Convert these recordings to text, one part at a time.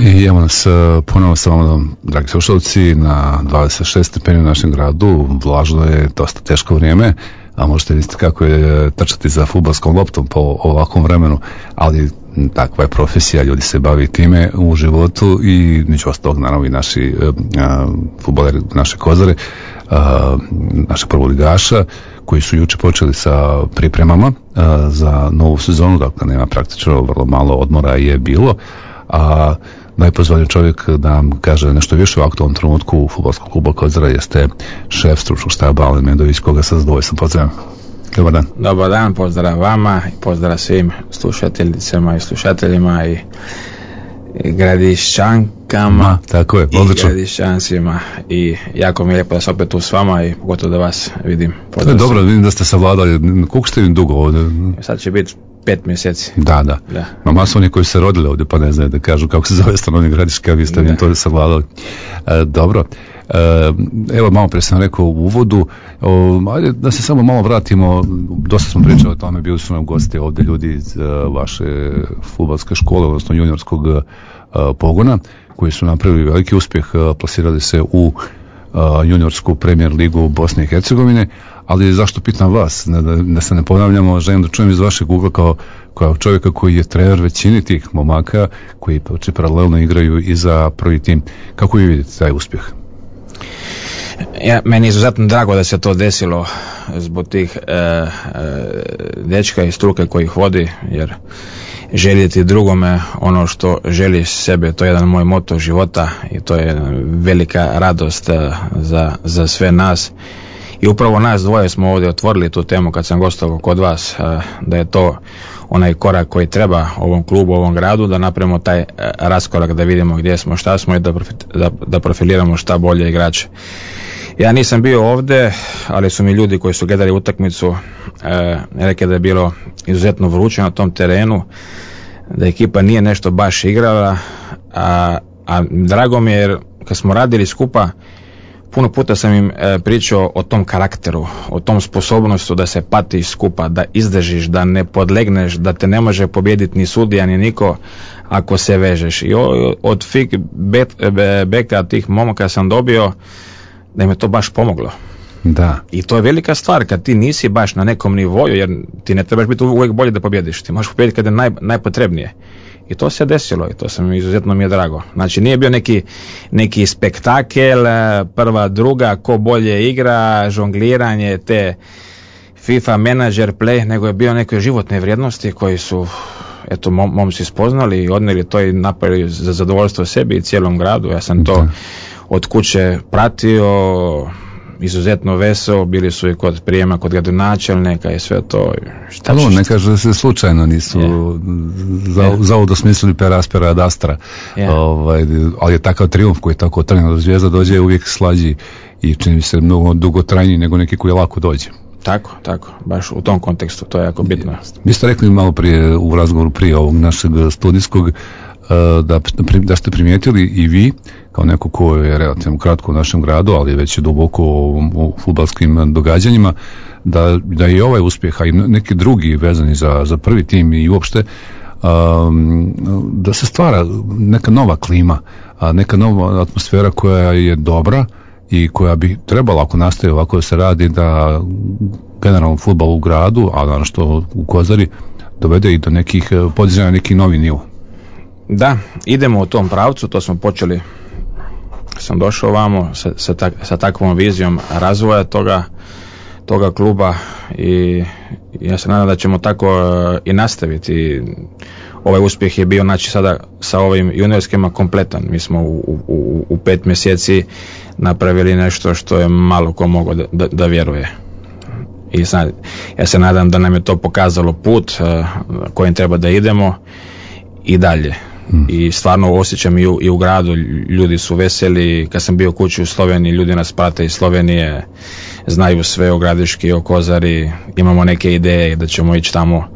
I evo nas ponovno sa vama, dragi slušalci, na 26 stepeni u našem gradu. Vlažno je, dosta teško vrijeme, a možete vidjeti kako je trčati za fudbalskom loptom po ovakvom vremenu, ali takva je profesija, ljudi se bavi time u životu i među ostalog naravno i naši fudbaleri, naše Kozare, naše prvoligaša, koji su juče počeli sa pripremama za novu sezonu, dakle nema praktično, vrlo malo odmora je bilo, a najpozvaniji čovjek da nam kaže nešto više u aktualnom trenutku fudbalskog kluba Kozara jeste šef stručnog štaba Alen Medović, koga sa zadovoljstvom pozdravljam. Dobar dan. Dobar dan, pozdrav vama i pozdrav svim slušateljicama i slušateljima i gradišćankama. Tako je, odlično. I gradišćancima i jako mi je lijepo da sam opet tu s vama i pogotovo da vas vidim. Dobro, vidim da ste savladali. Koliko ste im dugo ovdje? Sad će biti 5 mjeseci. Da. Ma masovni koji se rodili ovdje pa ne znaju da kažu kako se zove stanovnik Gradiška, vi ste im to savladali. Dobro. Evo, malo prije sam rekao u uvodu, ajde da se samo malo vratimo, dosta smo pričali o tome, bili su nam gosti ovdje ljudi iz vaše fudbalske škole, odnosno juniorskog pogona, koji su napravili veliki uspjeh, plasirali se u juniorsku premijer ligu Bosne i Hercegovine, ali zašto pitam vas, da se ne ponavljamo, želim da čujem iz vašeg ugla kao čovjeka koji je trener većini tih momaka, koji paralelno igraju i za prvi tim. Kako vi vidite taj uspjeh? Meni je izuzetno drago da se to desilo zbog tih dečka i struke koji ih vodi, jer željeti drugome ono što želi sebe, to je jedan moj moto života i to je velika radost za sve nas. I upravo nas dvoje smo ovdje otvorili tu temu kad sam gostovao kod vas, da je to onaj korak koji treba ovom klubu, ovom gradu, da napravimo taj raskorak, da vidimo gdje smo, šta smo i da profiliramo šta bolje igrače. Ja nisam bio ovdje, ali su mi ljudi koji su gledali utakmicu rekli da je bilo izuzetno vruće na tom terenu, da ekipa nije nešto baš igrala, a drago mi je jer kad smo radili skupa, puno puta sam im pričao o tom karakteru, o tom sposobnostu da se patiš skupa, da izdržiš, da ne podlegneš, da te ne može pobijediti ni sudija ni niko ako se vežeš. I od feedbacka tih momaka sam dobio da im je to baš pomoglo. Da. I to je velika stvar kad ti nisi baš na nekom nivoju, jer ti ne trebaš biti uvijek bolje da pobjediš, ti možeš pobijediti kad je najpotrebnije. I to se desilo i to sam izuzetno mi je drago. Znači nije bio neki spektakel, prva, druga, ko bolje igra, žongliranje, te FIFA manager play, nego je bio neke životne vrijednosti koji su momci spoznali i odnijeli to i napravili za zadovoljstvo sebi i cijelom gradu. Ja sam to od kuće pratio, izuzetno veseo, bili su i kod prijema kod gradonačelnika i sve to. Ne kaže da se slučajno nisu zavod osmislili per aspera ad astra, ali je takav triumf koji je tako trajno do zvijezda dođe uvijek slađi i čini mi se mnogo dugotrajniji nego neki koji lako dođe. Tako, baš u tom kontekstu, to je jako bitno. Vi ste rekli malo prije u razgovoru prije ovog našeg studijskog da ste primijetili i vi, kao neko ko je relativno kratko u našem gradu, ali već je duboko u fudbalskim događanjima, da je ovaj uspjeh, a i neki drugi vezani za prvi tim i uopšte, da se stvara neka nova klima, neka nova atmosfera koja je dobra i koja bi trebala, ako nastaje ovako da se radi, da generalno fudbal u gradu, a naravno što u Kozari, dovede i do nekih podizanja neki novi nivo. Da, idemo u tom pravcu, to smo počeli, sam došao vamo sa takvom vizijom razvoja toga kluba i ja se nadam da ćemo tako i nastaviti. Ovaj uspjeh je bio, znači sada sa ovim juniorskima kompletan. Mi smo u 5 mjeseci napravili nešto što je malo ko mogao da vjeruje. I sad, ja se nadam da nam je to pokazalo put kojim treba da idemo i dalje. I stvarno osjećam i u gradu, ljudi su veseli. Kad sam bio kući u Sloveniji, ljudi nas prate iz Slovenije, znaju sve o Gradiški i o Kozari, imamo neke ideje da ćemo ići tamo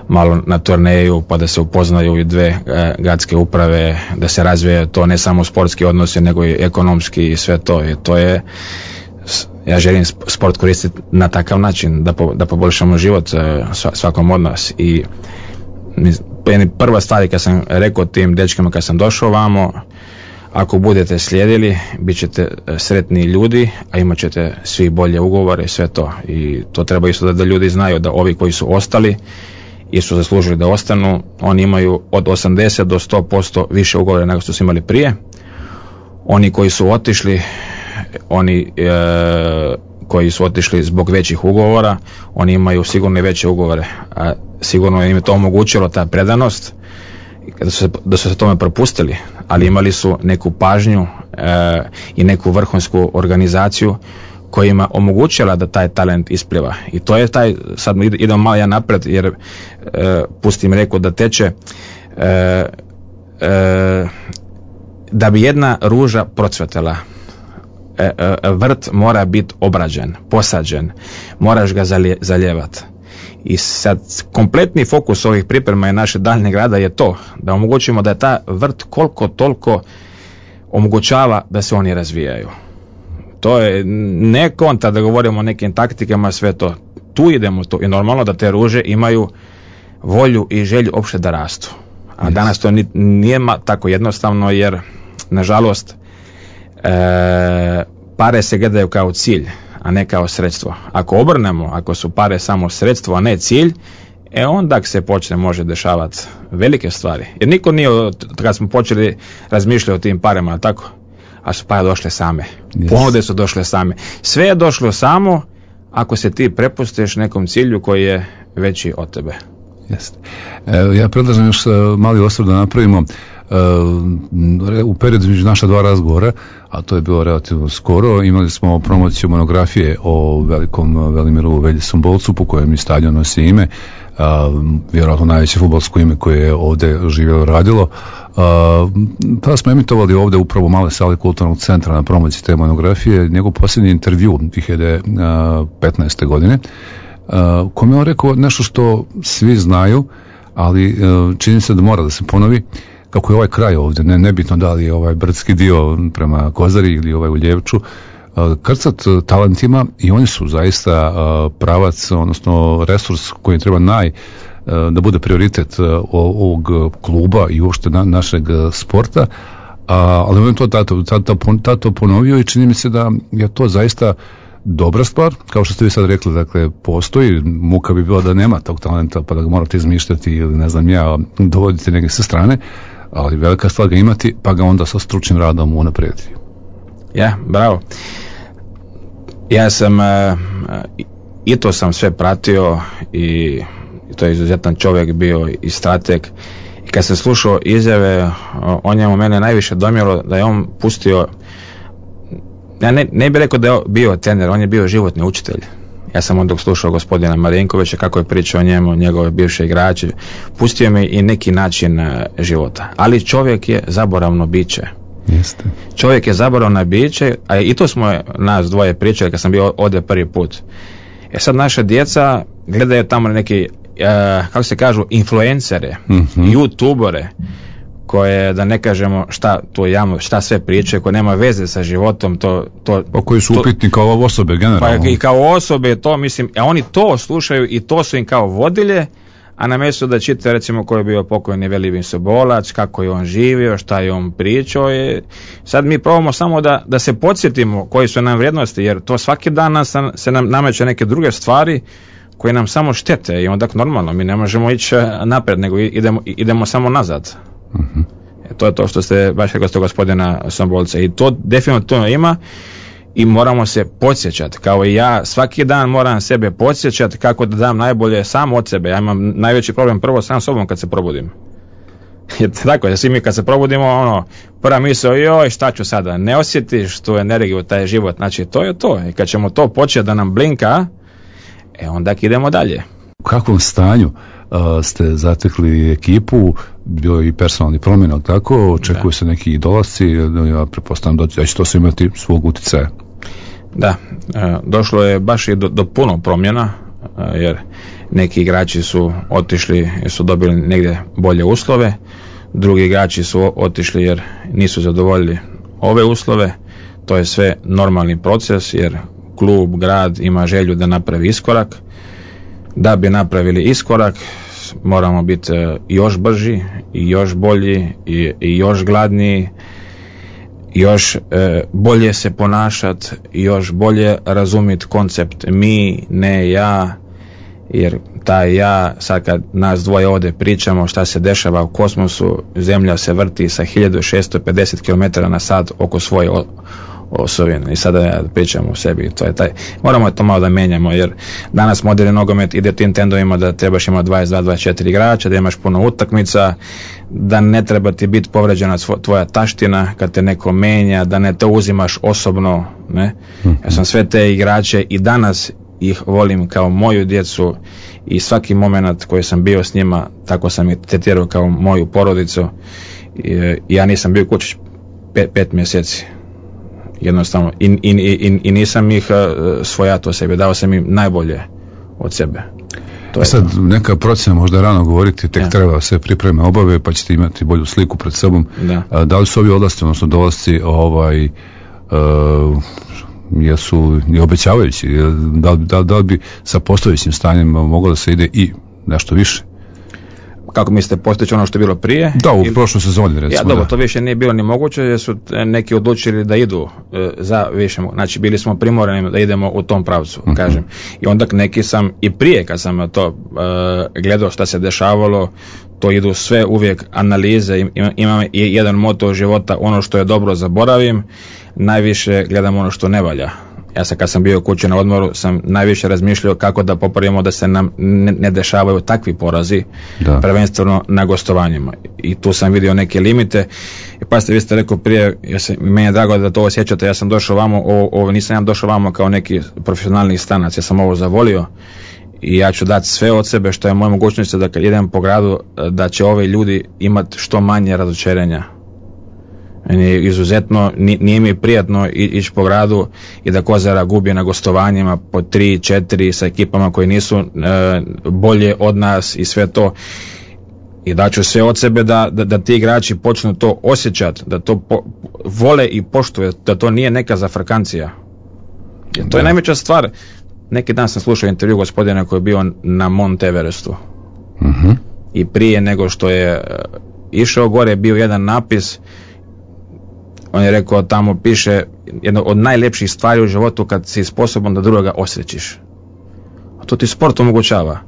malo na turneju pa da se upoznaju i dve gradske uprave, da se razvije to ne samo sportski odnosi nego i ekonomski i sve to. I to je, ja želim sport koristiti na takav način da poboljšamo život svakom od nas i to je prva stvar kad sam rekao tim dečkama kad sam došao vamo, ako budete slijedili, bit ćete sretni ljudi, a imat ćete svi bolje ugovore i sve to. I to treba isto da ljudi znaju da ovi koji su ostali i su zaslužili da ostanu, oni imaju od 80 do 100% više ugovore nego što su imali prije. Oni koji su otišli, koji su otišli zbog većih ugovora, oni imaju sigurno i veće ugovore, a sigurno im je to omogućilo ta predanost da su se tome propustili, ali imali su neku pažnju i neku vrhunsku organizaciju koja ima omogućila da taj talent ispliva. I to je taj, sad idemo malo ja napred jer pustim reku da teče, da bi jedna ruža procvetela, vrt mora biti obrađen, posađen, moraš ga zaljevati. I sad kompletni fokus ovih priprema i naše daljnjeg rada je to, da omogućimo da je ta vrt koliko toliko omogućava da se oni razvijaju. To je ne konta da govorimo o nekim taktikama, sve to. Tu idemo to i normalno da te ruže imaju volju i želju opšte da rastu. A danas to nije tako jednostavno jer nažalost pare se gledaju kao cilj, a ne kao sredstvo. Ako obrnemo, ako su pare samo sredstvo, a ne cilj, onda se počne može dešavati velike stvari. Jer niko nije, kad smo počeli razmišljati o tim parama, tako, a su pare došle same. Yes. Ponude su došle same. Sve je došlo samo ako se ti prepustiš nekom cilju koji je veći od tebe. Jeste. Ja predlažem još mali osvrt da napravimo u periodu između naša dva razgovora, a to je bilo relativno skoro, imali smo promociju monografije o velikom Velimiru Veljisom Bolcu, po kojem i stadion nosi ime, vjerojatno najveće fudbalsko ime koje je ovdje živjelo radilo. Pa smo emitovali ovdje upravo u maloj sali Kulturnog centra na promociji te monografije njegov posljednji intervju 2015. godine, kome je on rekao nešto što svi znaju, ali čini se da mora da se ponovi, kako je ovaj kraj ovdje, nebitno da li je ovaj brdski dio prema Kozari ili ovaj u Ljevču, krcat talentima i oni su zaista pravac, odnosno resurs koji treba da bude prioritet ovog kluba i uopšte našeg sporta, ali on je to tato ponovio i čini mi se da je to zaista dobra stvar, kao što ste vi sad rekli, dakle, postoji, muka bi bila da nema tog talenta, pa da ga morate izmišljati ili ne znam ja, dovoditi negdje sa strane, ali velika stvar ga imati, pa ga onda sa stručnim radom unaprijediti. Ja, bravo. Ja sam i to sam sve pratio i to je izuzetan čovjek bio i strateg. I kad sam slušao izjave o njemu, mene najviše domjelo da je on pustio, ja ne bih rekao da je bio trener, on je bio životni učitelj. Ja sam onda slušao gospodina Marinkovića kako je pričao o njemu, njegove bivše igrače, pustio mi i neki način života. Ali čovjek je zaboravno biće. Jeste. Čovjek je zaboravno biće, a i to smo nas dvoje pričali kad sam bio ovdje prvi put. Sad naša djeca gledaju tamo neki, kako se kažu, influencere, youtubere, koje, da ne kažemo šta sve priče, koje nema veze sa životom, koji su upitni kao osobe generalno. Pa i kao osobe, to mislim, a oni to slušaju i to su im kao vodilje, a na mjestu da čita recimo ko je bio pokojni Velivin Sobolac, kako je on živio, šta je on pričao, sad mi probamo samo da se podsjetimo koji su nam vrijednosti, jer to svaki dan se nam nameće neke druge stvari koje nam samo štete i onda normalno mi ne možemo ići napred, nego idemo samo nazad. Uh-huh. To je to što ste baš rekli od gospodina Sombolca i to definitivno ima i moramo se podsjećati, kao i ja svaki dan moram sebe podsjećati kako da dam najbolje sam od sebe. Ja imam najveći problem prvo sam sobom kad se probudim. Jer tako, svi mi kad se probudimo, prva misao, joj, šta ću sada, ne osjetiš tu energiju, taj život, znači to je to. I kad ćemo to početi da nam blinka, onda idemo dalje. U kakvom stanju ste zatekli ekipu, bilo je i personalni promjena, tako, očekuju se neki dolasci, ja pretpostavljam da će to sve imati svog utjecaja. Da, došlo je baš i do puno promjena, jer neki igrači su otišli jer su dobili negdje bolje uslove, drugi igrači su otišli jer nisu zadovoljili ove uslove, to je sve normalni proces jer klub, grad ima želju da napravi iskorak. Da bi napravili iskorak, danas moramo biti još brži i još bolji i još gladniji, još bolje se ponašati, još bolje razumjeti koncept mi, ne ja, jer taj ja, sad kad nas dvoje ovdje pričamo šta se dešava u kosmosu, Zemlja se vrti sa 1650 km na sat oko svoje osovine i sada ja pričam o sebi, to je taj, moramo to malo da menjamo, jer danas moderni nogomet ide tim tendovima da trebaš imati 22-24 igrača, da imaš puno utakmica, da ne treba ti biti povređena tvoja taština kad te neko menja, da ne to uzimaš osobno, ne? Ja sam sve te igrače i danas ih volim kao moju djecu i svaki moment koji sam bio s njima, tako sam ih tretirao kao moju porodicu. Ja nisam bio kući 5 mjeseci. Jednostavno. I nisam ih svojatao sebi, dao sam im najbolje od sebe. To sad neka procjena, možda je rano govoriti, tek treba sve pripreme obave pa ćete imati bolju sliku pred sobom. Da li su ovi odlasci, odnosno dolasci jesu i obećavajući, da li bi sa postojećim stanjem moglo da se ide i nešto više? Kako mislite, postojeći ono što je bilo prije? Da, u prošloj sezoni recimo. Ja, dobro, to više nije bilo ni moguće jer su neki odlučili da idu za više, znači bili smo primorani da idemo u tom pravcu, kažem. I onda neki sam i prije kad sam to gledao šta se dešavalo, to idu sve uvijek analize, imam jedan moto života, ono što je dobro zaboravim, najviše gledam ono što ne valja. Ja sam kad sam bio kući na odmoru sam najviše razmišljao kako da popravimo da se nam ne dešavaju takvi porazi, prvenstveno na gostovanjima. I tu sam vidio neke limite. I pa ste vi ste rekao prije, meni je drago da to osjećate, ja sam došao vamo, nisam ja došao vamo kao neki profesionalni stanac, ja sam ovo zavolio i ja ću dati sve od sebe što je moja mogućnost da kad idem po gradu da će ovi ljudi imati što manje razočarenja. Meni je izuzetno, nije mi prijatno ići po gradu i da Kozara gubi na gostovanjima po 3-4 sa ekipama koji nisu bolje od nas i sve to. I daću sve od sebe da ti igrači počnu to osjećati, da to vole i poštuju, da to nije neka zafrkancija. Jer to je najveća stvar. Neki dan sam slušao intervju gospodina koji je bio na Mount Everestu. I prije nego što je išao gore bio jedan napis. On je rekao, tamo piše, jedna od najljepših stvari u životu kad si sposoban da drugoga osrećiš. A to ti sport omogućava.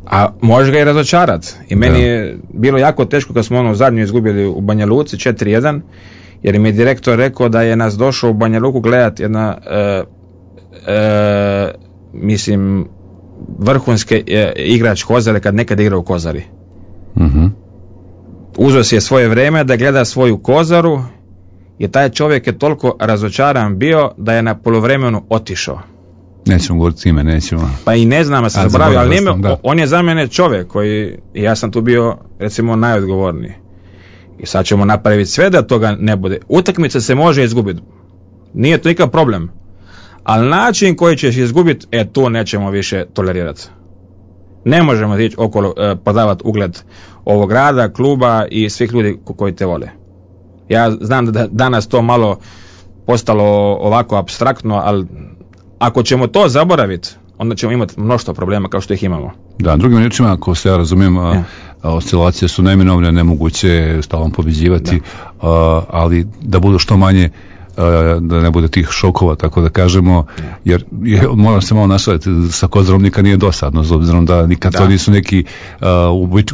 A možeš ga i razočarati. I meni je bilo jako teško kad smo zadnju izgubili u Banja Luci 4-1, jer mi je direktor rekao da je nas došao u Banja Luku gledati jedna mislim vrhunske igrač Kozare kad nekad igra u Kozari. Uzeo si je svoje vrijeme da gleda svoju Kozaru i taj čovjek je toliko razočaran bio da je na poluvremenu otišao. Nećemo govoriti ime, nećemo. Pa i ne znam, ja sam zaboravio, ali on je za mene čovjek koji, ja sam tu bio recimo najodgovorniji. I sad ćemo napraviti sve da toga ne bude. Utakmica se može izgubiti. Nije to nikakav problem. Ali način koji ćeš izgubiti, tu nećemo više tolerirati. Ne možemo ići okolo podavati ugled ovog grada, kluba i svih ljudi koji te vole. Ja znam da danas to malo postalo ovako apstraktno, ali ako ćemo to zaboraviti, onda ćemo imati mnoštvo problema kao što ih imamo. Da, drugim riječima, ako se ja razumijem, oscilacije su neminovne, nemoguće stalno pobjeđivati, ali da budu što manje, da ne bude tih šokova, tako da kažemo, jer moram se malo našaliti, sa Kozarom nikad nije dosadno, s obzirom da nikad to nisu neki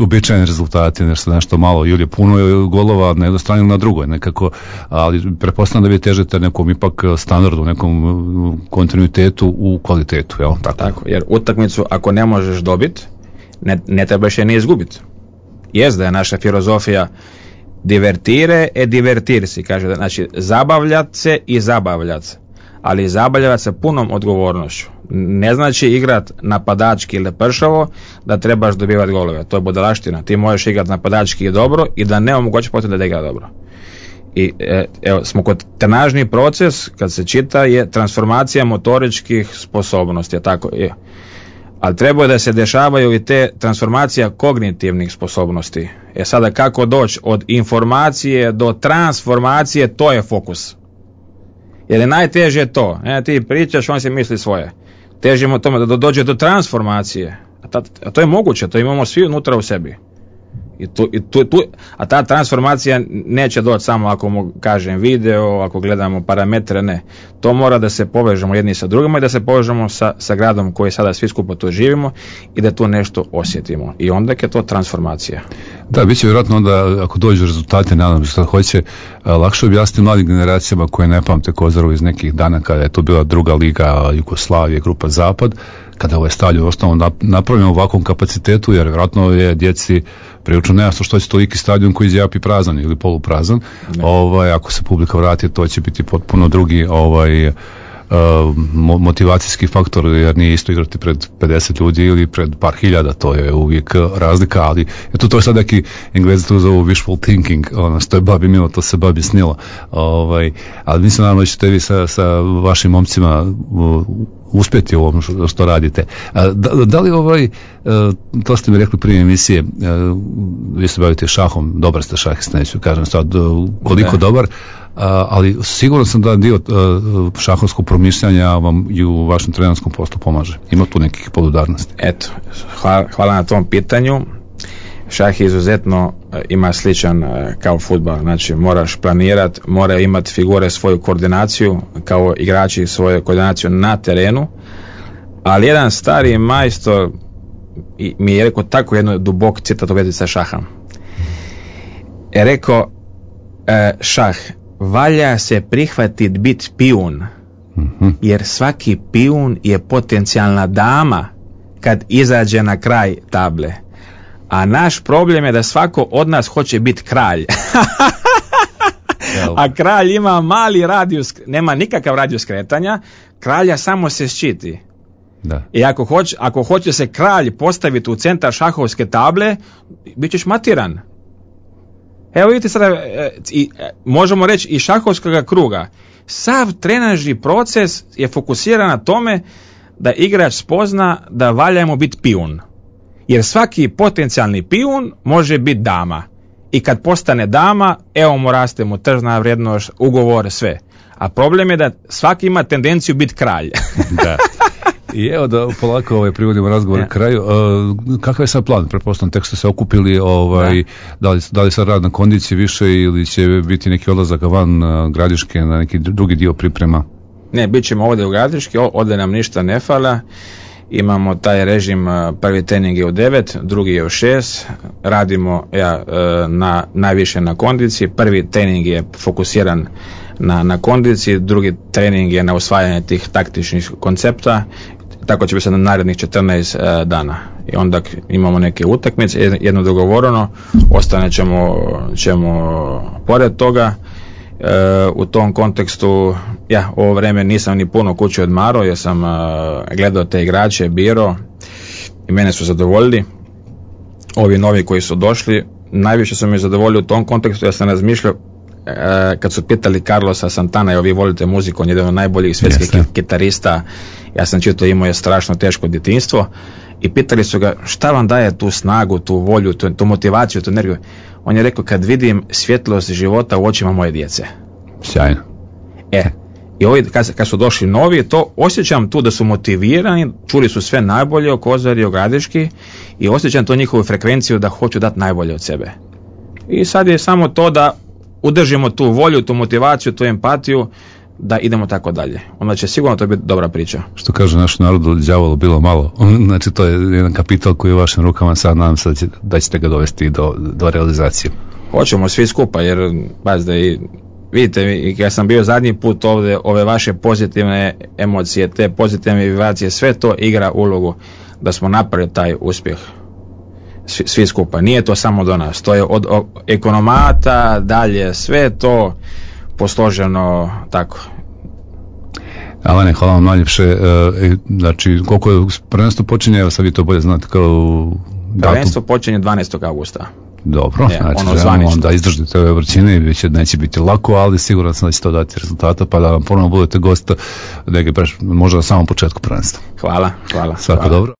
uobičajeni rezultati, nešto malo, ili je puno golova na jednoj strani ili na drugoj, nekako, ali pretpostavljam da vi težite nekom ipak standardu, nekom kontinuitetu u kvalitetu, jel? Tako, jer utakmicu ako ne možeš dobiti, ne trebaš je ni izgubiti. Jest da je naša filozofija divertire e divertirsi, kaže, znači zabavljat se i zabavljat, ali zabavljat se punom odgovornošću. Ne znači igrat napadački ili pršavo da trebaš dobivati golove, to je budalaština. Ti možeš igrat napadački i dobro i da ne omogući potem da igra dobro. I evo, smo kod trenažni proces, kad se čita, je transformacija motoričkih sposobnosti, tako je. Ali treba da se dešavaju i te transformacija kognitivnih sposobnosti. Sada kako doći od informacije do transformacije, to je fokus. Jer je najteže to. Ti pričaš, on se misli svoje. Težimo tome da dođe do transformacije. A to je moguće, to imamo svi unutra u sebi. A ta transformacija neće doći samo ako mu kažem video, ako gledamo parametre, ne. To mora da se povežemo jedni sa drugima i da se povežemo sa gradom koji sada svi skupo tu živimo i da tu nešto osjetimo. I onda je to transformacija. Da, bit će vjerojatno onda, ako dođu rezultate, nadam se što hoće, lakše objasniti mladim generacijama koje ne pamte Kozaru iz nekih dana kada je to bila druga liga Jugoslavije, grupa Zapad, kada je ovaj stadion ostalo napravljen u ovakvom kapacitetu, jer vjerojatno je djeci prilično nejasno što će toliki stadion koji zjapi prazan ili poluprazan. Ako se publika vrati, to će biti potpuno drugi motivacijski faktor, jer nije isto igrati pred 50 ljudi ili pred par hiljada, to je uvijek razlika, ali to je sad neki Englezi to zovu wishful thinking, što je babi milo, to se babi snilo. Ali mislim naravno da ćete vi sa vašim momcima uspjeti u ovom što radite. Da li to ste mi rekli prije emisije, vi se bavite šahom, dobar ste šahista, neću kažem sad koliko dobar, ali sigurno sam da dio šahovskog promišljanja vam i u vašem trenerskom poslu pomaže. Ima tu nekih podudarnosti? Eto, hvala na tom pitanju. Šah izuzetno ima sličan kao fudbal, znači moraš planirati, mora imati figure svoju koordinaciju, kao igrači svoju koordinaciju na terenu, ali jedan stari majstor mi je rekao tako jedno dubok citat u vezi sa šahom. Je rekao, šah, valja se prihvatiti biti pijun, jer svaki pijun je potencijalna dama kad izađe na kraj table. A naš problem je da svako od nas hoće biti kralj. A kralj ima mali radijus, nema nikakav radijus kretanja, kralja samo se ščiti. Da. I ako hoće se kralj postaviti u centar šahovske table, bit ćeš matiran. Evo vidite sada, možemo reći i šahovskog kruga. Sav trenažni proces je fokusiran na tome da igrač spozna da valja mu biti pijun. Jer svaki potencijalni pijun može biti dama. I kad postane dama, evo mu raste mu tržna vrijednost, ugovor, sve. A problem je da svaki ima tendenciju biti kralj. Da. I evo da polako privodimo razgovor na kraju. Kakav je sad plan? Pretpostavljam, tek ste se okupili, da li sad rad na kondiciji više ili će biti neki odlazak van Gradiške na neki drugi dio priprema? Ne, bit ćemo ovdje u Gradiški, ovdje nam ništa ne fala. Imamo taj režim, prvi trening je u 9, drugi je u 6, radimo najviše na kondiciji, prvi trening je fokusiran na kondiciji, drugi trening je na usvajanje tih taktičnih koncepta, tako će biti sad na narednih 14 dana. I onda imamo neke utakmice, jedno dogovoreno, ostane ćemo pored toga. U tom kontekstu ovo vrijeme nisam ni puno kući odmarao, jer sam gledao te igrače, birao i mene su zadovoljili. Ovi novi koji su došli najviše su mi zadovoljili u tom kontekstu. Ja sam razmišljao, kad su pitali Carlosa Santana, vi volite muziku, on je jedan od najboljih svjetskih kitarista, ja sam čitao, imao je strašno teško djetinjstvo, i pitali su ga šta vam daje tu snagu, tu volju, tu motivaciju, tu energiju. On je rekao, kad vidim svjetlost života u očima moje djece. Sjajno. I ovi kad su došli novi, to osjećam tu da su motivirani, čuli su sve najbolje o Kozari, o Gradiški, i osjećam to njihovu frekvenciju da hoću dati najbolje od sebe. I sad je samo to da udržimo tu volju, tu motivaciju, tu empatiju, da idemo tako dalje. Onda će sigurno to biti dobra priča. Što kaže naš narod, đavolo bilo malo. Znači to je jedan kapital koji je u vašim rukama, sad nadam se da ćete ga dovesti do realizacije. Hoćemo svi skupa, jer pazite, vidite, ja sam bio zadnji put ovdje, ove vaše pozitivne emocije, te pozitivne vibracije, sve to igra ulogu da smo napravili taj uspjeh. Svi skupa. Nije to samo do nas. To je od ekonomata dalje, sve to posloženo tako. Alane, hvala vam najljepše. Znači, koliko je prvenstvo počinje, evo sad vi to bolje znate kao prvenstvo počinje 12. augusta. Dobro, znači onda izdržite ove vrućine i neće biti lako, ali siguran sam da će to dati rezultata, pa da vam ponovno budete gost možda na samom početku prvenstva. Hvala. Svako dobro.